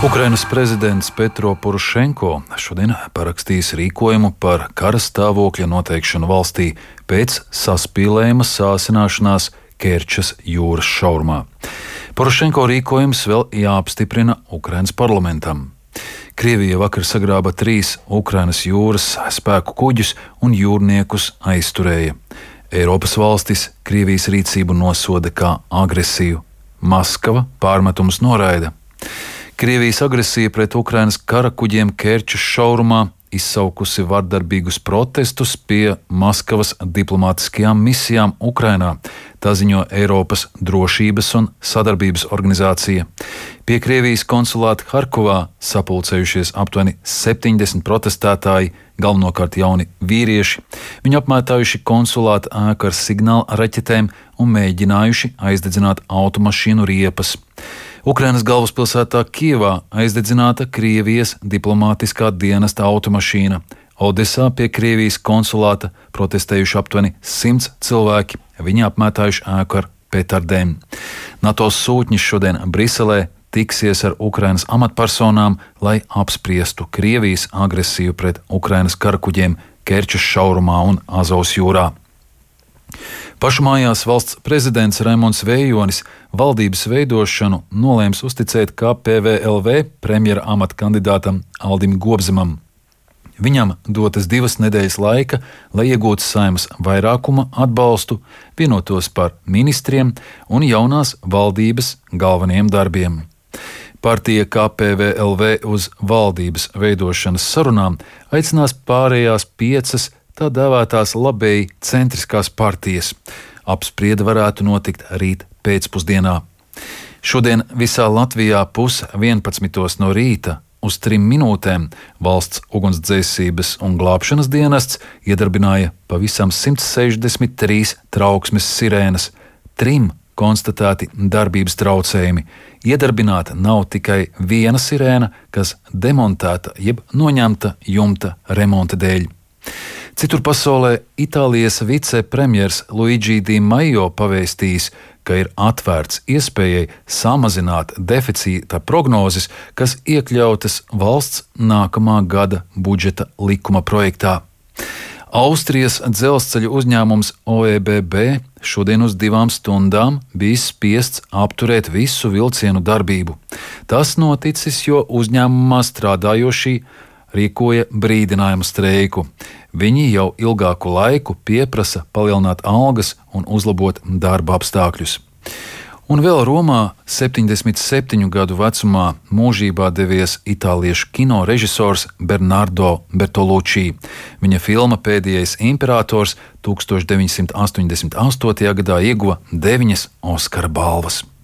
Ukrainas prezidents Petro Porošenko šodien parakstīs rīkojumu par kara stāvokļa noteikšanu valstī pēc saspīlējuma sāsināšanās Kerčas jūras šaurumā. Porošenko rīkojums vēl jāapstiprina Ukrainas parlamentam. Krievija vakar sagrāba 3 Ukrainas jūras spēku kuģus un jūrniekus aizturēja. Eiropas valstis Krievijas rīcību nosoda kā agresiju. Maskava pārmetumus noraida. Krievijas agresija pret Ukrainas kara kuģiem Kerčas šaurumā izsaukusi vardarbīgus protestus pie Maskavas diplomātiskajām misijām Ukrainā, tā ziņo Eiropas drošības un sadarbības organizācija. Pie Krievijas konsulāta Harkovā sapulcējušies aptuveni 70 protestētāji, galvenokārt jauni vīrieši. Viņi apmētājuši konsulāta ēku ar signāla raķetēm un mēģinājuši aizdedzināt automašīnu riepas. Ukrainas galvaspilsētā Kijevā aizdedzināta Krievijas diplomātiskā dienesta automašīna. Odesā pie Krievijas konsulāta protestējuši aptuveni 100 cilvēki. Viņi apmētājuši ēku ar petardēm. NATO sūtņi šodien Briselē tiksies ar Ukrainas amatpersonām, lai apspriestu Krievijas agresiju pret Ukrainas karakuģiem Kerčas šaurumā un Azovas jūrā. Pašmājās valsts prezidents Raimonds Vējonis valdības veidošanu nolēms uzticēt KPVLV premjera amata kandidātam Aldim Gobzemam. Viņam dotas 2 nedēļas laika, lai iegūtu Saeimas vairākuma atbalstu, vienotos par ministriem un jaunās valdības galvenajiem darbiem. Partija KPVLV uz valdības veidošanas sarunām aicinās pārējās 5 tā dēvētās labēji centriskās partijas. Apspriede varētu notikt rīt pēcpusdienā. Šodien visā Latvijā 10:30 no rīta uz 3 minūtēm valsts ugunsdzēsības un glābšanas dienests iedarbināja pavisam 163 trauksmes sirēnas. 3 konstatēti darbības traucējumi. Iedarbināta nav tikai viena sirēna, kas demontēta jeb noņemta jumta remonta dēļ. Citur pasaulē Itālijas vicepremjers Luigi Di Maio pavēstījis, ka ir atvērts iespējai samazināt deficīta prognozes, kas iekļautas valsts nākamā gada budžeta likuma projektā. Austrijas dzelzceļa uzņēmums OEBB šodien uz 2 stundām bija spiests apturēt visu vilcienu darbību. Tas noticis, jo uzņēmumā strādājošie rīkoja brīdinājumu streiku. Viņi jau ilgāku laiku pieprasa palielināt algas un uzlabot darba apstākļus. Un vēl Romā 77 gadu vecumā mūžībā devies itāliešu kino režisors Bernardo Bertolucci. Viņa filma Pēdējais imperators 1988. gadā ieguva 9 Oskara balvas.